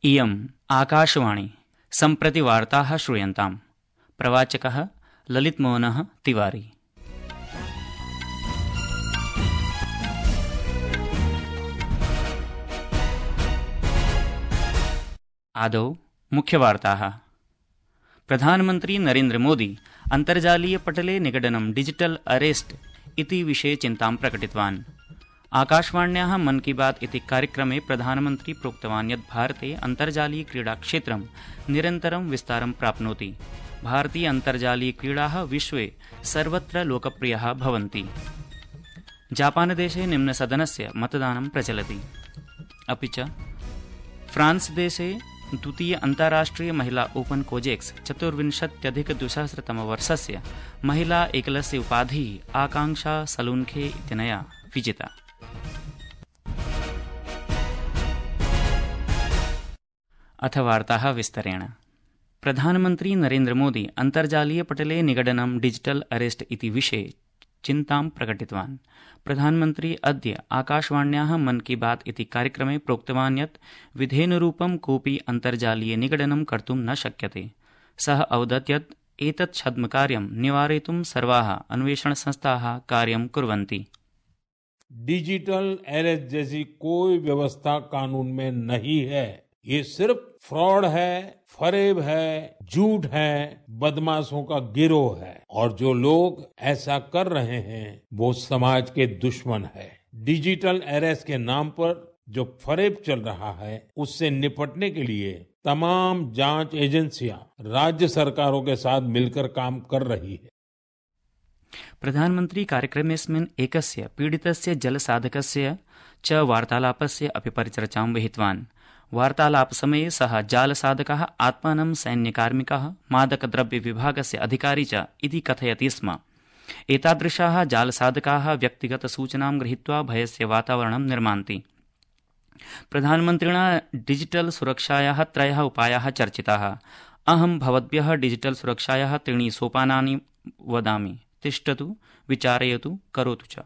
इयम् आकाशवाणी सम्प्रति वार्ताः श्रूयन्ताम्। प्रवाचकः ललितमोहनः तिवारी। आदौ मुख्यवार्ताः। प्रधानमन्त्री नरेन्द्र मोदी अन्तर्जालीयपटले निगडनं डिजिटल अरेस्ट इति विषये चिन्तां प्रकटितवान्। आकाशवाण्याः मन की बात इति कार्यक्रमे प्रधानमन्त्री प्रोक्तवान् यत् भारते अन्तर्जालीयक्रीडाक्षेत्रं निरन्तरं विस्तारं प्राप्नोति। भारतीय अन्तर्जालीयक्रीडाः विश्वे सर्वत्र लोकप्रियाः भवन्ति। जापानदेशे निम्नसदनस्य मतदानं प्रचलति। अपि च फ्रांसदेशे द्वितीय अन्ताराष्ट्रिय महिला ओपन कोजेक्स 24-2000 महिला एकलस्य उपाधिः आकांक्षा सलून्खे इत्यनया विजिता। अथ वार्ताः विस्तरेण। प्रधानमन्त्री नरेन्द्र मोदी अन्तर्जालीयपटले निगडनं डिजिटल अरेस्ट इति विषये चिन्तां प्रकटितवान्। प्रधानमन्त्री अद्य आकाशवाण्याः मन की बात इति कार्यक्रमे प्रोक्तवान् यत् विधेनुरूपं कोऽपि अन्तर्जालीय निगडनं कर्तुं न शक्यते। सः अवदत् यत् एतत् छद्मकार्यं निवारयितुं सर्वाः अन्वेषणसंस्थाः कार्यं कुर्वन्ति। डिजिटल अरेस्ट जैसी कोई व्यवस्था कानून में नहीं है। ये सिर्फ फ्रॉड है, फरेब है, झूठ है, बदमाशों का गिरोह है और जो लोग ऐसा कर रहे हैं वो समाज के दुश्मन है। डिजिटल अरेस्ट के नाम पर जो फरेब चल रहा है उससे निपटने के लिए तमाम जांच एजेंसियां राज्य सरकारों के साथ मिलकर काम कर रही है। प्रधानमन्त्री कार्यक्रमेऽस्मिन् एकस्य पीडितस्य जलसाधकस्य च वार्तालापस्य अपि परिचर्चां विहितवान्। वार्तालापसमये सः जालसाधकः आत्मानं सैन्यकार्मिकः मादकद्रव्यविभागस्य अधिकारी च इति कथयति स्म। एतादृशाः जालसाधकाः व्यक्तिगतसूचनां गृहीत्वा भयस्य वातावरणं निर्मान्ति। प्रधानमन्त्रिणा डिजिटल सुरक्षायाः 3 उपायाः चर्चिताः। अहं भवद्भ्यः डिजिटल सुरक्षायाः 3 सोपानानि वदामि। तिष्ठतु, विचारयतु, करोतु च।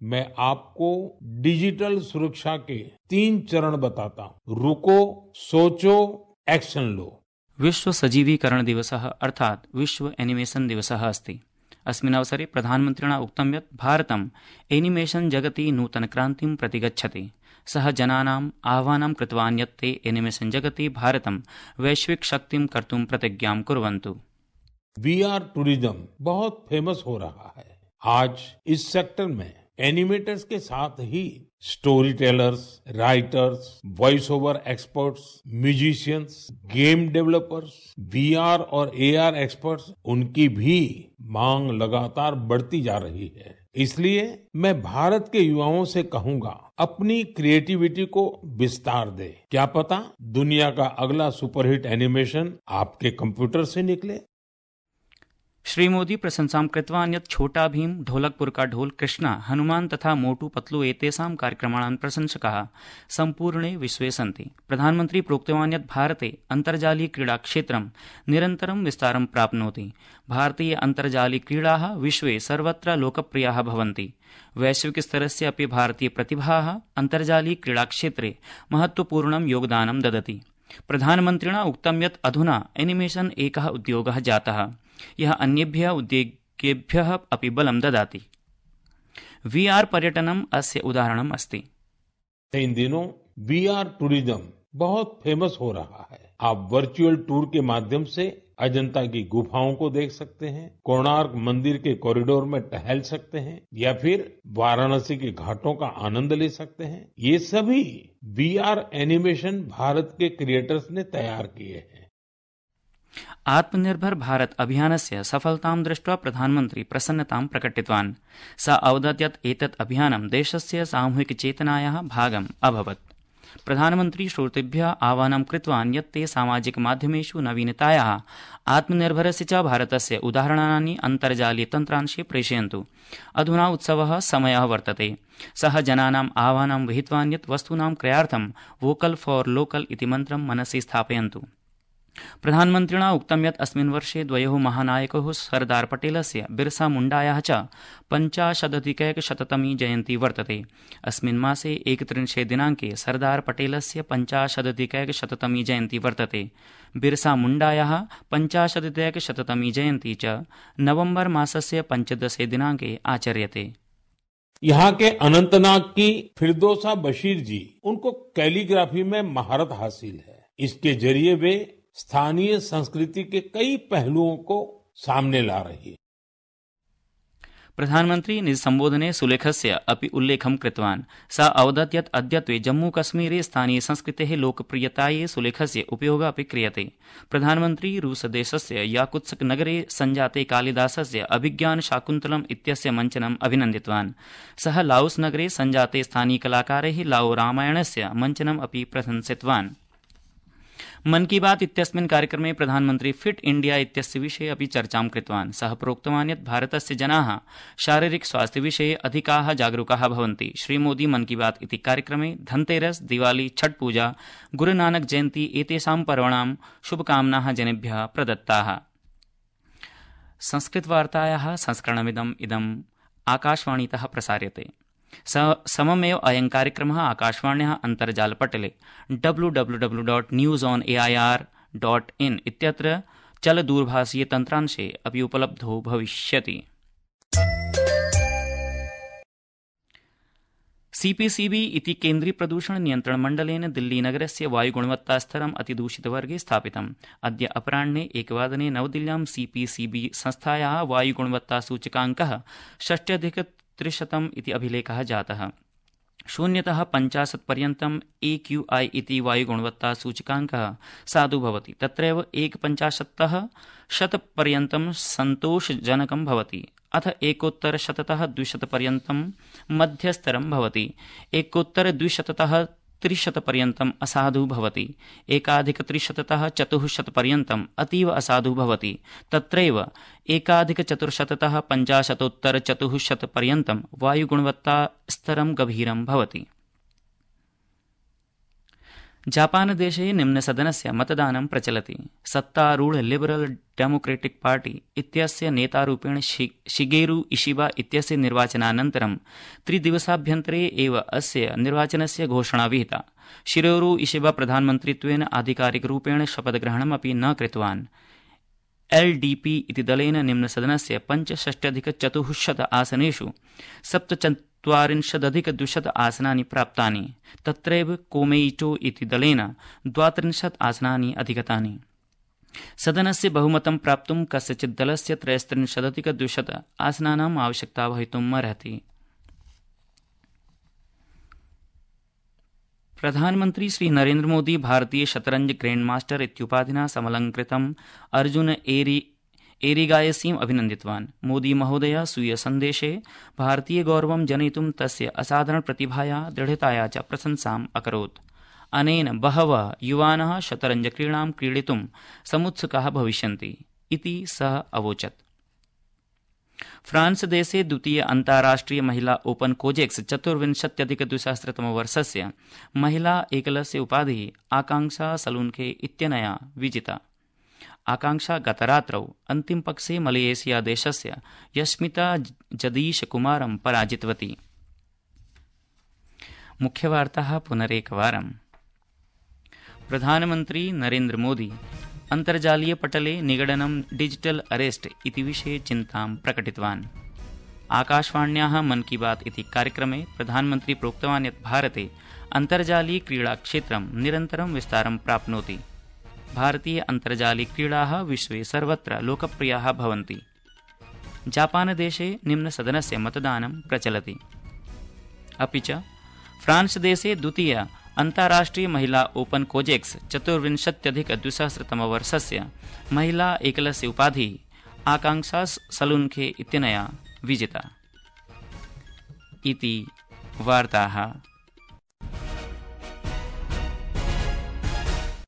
मैं आपको डिजिटल सुरक्षा के 3 चरण बताता हूँ। रुको, सोचो, एक्शन लो। विश्व सजीवीकरण दिवसः अर्थात् विश्व एनिमेशन दिवसः अस्ति। अस्मिन् अवसरे प्रधानमन्त्रिणा उक्तं यत् भारतम् एनिमेशन जगति नूतनक्रान्तिं प्रति गच्छति। सः जनानाम् आह्वानं कृतवान् यत् ते एनिमेशन जगति भारतं वैश्विक शक्तिं कर्तुं प्रतिज्ञां कुर्वन्तु। VR टूरिज्म बहुत फेमस हो रहा है। आज इस सेक्टर में एनिमेटर्स के साथ ही storytellers, writers, voice over experts, musicians, game developers, VR और AR एक्सपर्ट्स, उनकी भी मांग लगातार बढ़ती जा रही है। इसलिए मैं भारत के युवाओं से कहूंगा, अपनी क्रिएटिविटी को विस्तार दे। क्या पता दुनिया का अगला सुपरहिट एनिमेशन आपके कंप्यूटर से निकले। श्री मोदी प्रशंसां कृतवान् यत् छोटा भीम, ढोलकपुर का ढोल, कृष्णा, हनुमान तथा मोटू पतलू एतेषां कार्यक्रमाणां प्रशंसकाः सम्पूर्णे विश्वे सन्ति। प्रधानमन्त्री प्रोक्तवान् यत् भारते अन्तर्जालीयक्रीडाक्षेत्रं निरन्तरं विस्तारं प्राप्नोति। भारतीय अन्तर्जालीयक्रीडाः विश्वे सर्वत्र लोकप्रियाः भवन्ति। वैश्विकस्तरस्य अपि भारतीयप्रतिभाः अन्तर्जालीयक्रीडाक्षेत्रे महत्वपूर्णं योगदानं ददति। प्रधानमन्त्रिणा उक्तं यत् अधुना एनिमेशन एकः उद्योगः जातः, यः अन्येभ्यः उद्योगेभ्यः अपि बलं ददाति। VR पर्यटनम् अस्य उदाहरणम् अस्ति। इन दिनों VR टूरिज्म बहुत फेमस हो रहा है। आप वर्चुअल टूर के माध्यम से अजंता की गुफाओं को देख सकते हैं, कोणार्क मंदिर के कॉरिडोर में टहल सकते हैं या फिर वाराणसी के घाटों का आनंद ले सकते हैं। ये सभी VR एनिमेशन भारत के क्रिएटर्स ने तैयार किए हैं। आत्मनिर्भर भारत अभियानस्य सफलतां दृष्ट्वा प्रधानमन्त्री प्रसन्नतां प्रकटितवान्। सः अवदत् यत् एतत् अभियानं देशस्य सामूहिकचेतनायाः भागम् अभवत्। प्रधानमन्त्री श्रोतृभ्यः आह्वानं कृतवान् यत् ते सामाजिकमाध्यमेषु नवीनतायाः, आत्मनिर्भरस्य च भारतस्य उदाहरणानि अन्तर्जालीयतन्त्रांशे प्रेषयन्तु। अधुना उत्सवः समयः वर्तते। सः जनानाम् आह्वानं विहितवान् यत् वस्तूनां क्रयार्थं वोकल फॉर लोकल इति मन्त्रं मनसि स्थापयन्तु। प्रधानमन्त्रिणा उक्तं यत् अस्मिन् वर्षे द्वयोः महानायकयोः सरदार पटेलस्य बिरसा मुण्डायाः च 50-अधिकैकशततमी जयन्ती वर्तते। अस्मिन् मासे 31 दिनाङ्के सरदार पटेलस्य 50-अधिकैकशततमी जयन्ती वर्तते। बिरसा मुण्डायाः 50-अधिकैकशततमी जयन्ती च नवम्बर मासस्य 15 दिनाङ्के आचर्यते। यहाँ के अनंतनाग की फिरदौसा बशीर जी, उनको कैलीग्राफी में महारत हासिल है। इसके जरिए वे स्थानीय संस्कृति के कई पहलुओं को सामने ला रही है। प्रधानमन्त्री निज सम्बोधने सुलेखस्य अपि उल्लेखं कृतवान्। स अवदत् यत् अद्यत्वे जम्मूकश्मीरे स्थानीय संस्कृतेः लोकप्रियतायै सुलेखस्य उपयोगः अपि क्रियते। प्रधानमन्त्री रूसदेशस्य याकुत्स्क नगरे सञ्जाते कालिदासस्य अभिज्ञान शाकुन्तलम् इत्यस्य मञ्चनम् अभिनन्दितवान्। सः लाओस नगरे सञ्जाते स्थानीयकलाकारैः लाओ रामायणस्य मञ्चनम् अपि प्रशंसितवान्। मन की बात इत्यस्मिन् कार्यक्रमे प्रधानमन्त्री फिट इंडिया इत्यस्य विषये अपि चर्चां कृतवान्। सः प्रोक्तवान् यत् भारतस्य जनाः शारीरिक स्वास्थ्य विषये अधिकाः जागरूकाः भवन्ति। श्रीमोदी मन की बात इति कार्यक्रमे धनतेरस, दिवाली, छठ पूजा, गुरुनानक जयन्ती एतेषां पर्वणां शुभकामनाः जनेभ्यः प्रदत्ताः। संस्कृतवार्तायाः संस्करणमिदम् आकाशवाणीतः प्रसार्यते। सममेव अयं कार्यक्रमः आकाशवाण्याः अन्तर्जालपटले www.newsonair.in इत्यत्र चलदूरभाषीय तन्त्रांशे अपि उपलब्धो भविष्यति। सीपीसीबी इति केन्द्रीय प्रदूषण नियन्त्रण मण्डलेन दिल्लीनगरस्य वायुगुणवत्तास्तरम् अतिदूषितवर्गे स्थापितम्। अद्य अपराह्ने 1 नवदिल्ल्यां सीपीसीबी संस्थायाः वायुगुणवत्तासूचकाङ्कः 60-300 इति अभिलेखः जातः। 0तः 50 पर्यन्तम् AQI इति वायुगुणवत्तासूचकाङ्कः साधु भवति। तत्रैव 150तः 100 पर्यन्तं सन्तोषजनकं भवति। अथ 1-100तः 200 पर्यन्तं मध्यस्तरं भवति। 1-200तः 300 पर्यन्तम् असाधु भवति। 1+300तः 400 पर्यन्तम् अतीव असाधु भवति। तत्रैव 1+400तः 50-400 पर्यन्तं वायुगुणवत्ता स्तरं गभीरं भवति। जापानदेशे निम्नसदनस्य मतदानं प्रचलति। सत्तारूढ लिबरल डेमोक्रेटिक पार्टी इत्यस्य नेतारूपेण शिगेरु इशिबा इत्यस्य निर्वाचनानन्तरं 3 दिवसाभ्यन्तरे एव अस्य निर्वाचनस्य घोषणा विहिता। शिगेरु इशिबा प्रधानमन्त्रित्वेन आधिकारिकरूपेण शपथग्रहणमपि न कृतवान्। LDP इति दलेन निम्नसदनस्य 65-400 आसनेषु 47-200 आसनानि प्राप्तानि। तत्रैव कोमेइटो इति दलेन 32 आसनानि अधिगतानि। सदनस्य बहुमतं प्राप्तुं कस्यचित् दलस्य 33-200 आसनानाम् आवश्यकता भवितुम् अर्हति। प्रधानमन्त्री श्री नरेन्द्र मोदी भारतीय शतरंज ग्रैंड मास्टर इत्युपाधिना समलंकृतम् अर्जुन एरिगायसीम् अभिनन्दितवान्। मोदी महोदय स्वीय सन्देशे भारतीय गौरवं जनयितुं तस्य असाधारण प्रतिभाया दृढताया च प्रशंसाम् अकरोत्। अनेन बहवः युवानः शतरंज क्रीडां क्रीडितुं समुत्सुकाः भविष्यन्ति इति सः अवोचत्। फ्रांस देशे द्वितीय अन्ताराष्ट्रिय महिला ओपन कोजेक्स 24-अधिक-2000 महिला एकलस्य उपाधिः आकांक्षा सलूनखे इत्यनया विजिता। आकांक्षा गतरात्रौ अन्तिमपक्षे मलेशिया देशस्य यस्मिता जदीश कुमारं पराजितवती। मुख्यवार्ताः पुनरेकवारम्। प्रधानमन्त्री नरेन्द्र मोदी अन्तर्जालीय पटले निगडनं डिजिटल अरेस्ट इति विषये चिन्तां प्रकटितवान्। आकाशवाण्याः मन की बात इति कार्यक्रमे प्रधानमन्त्री प्रोक्तवान् यत् भारते अन्तर्जालीय क्रीडाक्षेत्रं निरन्तरं विस्तारं प्राप्नोति। भारतीय अन्तर्जालीय क्रीडाः विश्वे सर्वत्र लोकप्रियाः भवन्ति। जापानदेशे निम्नसदनस्य मतदानं प्रचलति। अपि च फ्रांस देशे द्वितीय अन्ताराष्ट्रिय महिला ओपन कोजेक्स 24-अधिक-2000 महिला एकलस्य उपाधिः आकांक्षा सलूनखे इत्यनया विजिता। इति वार्ताः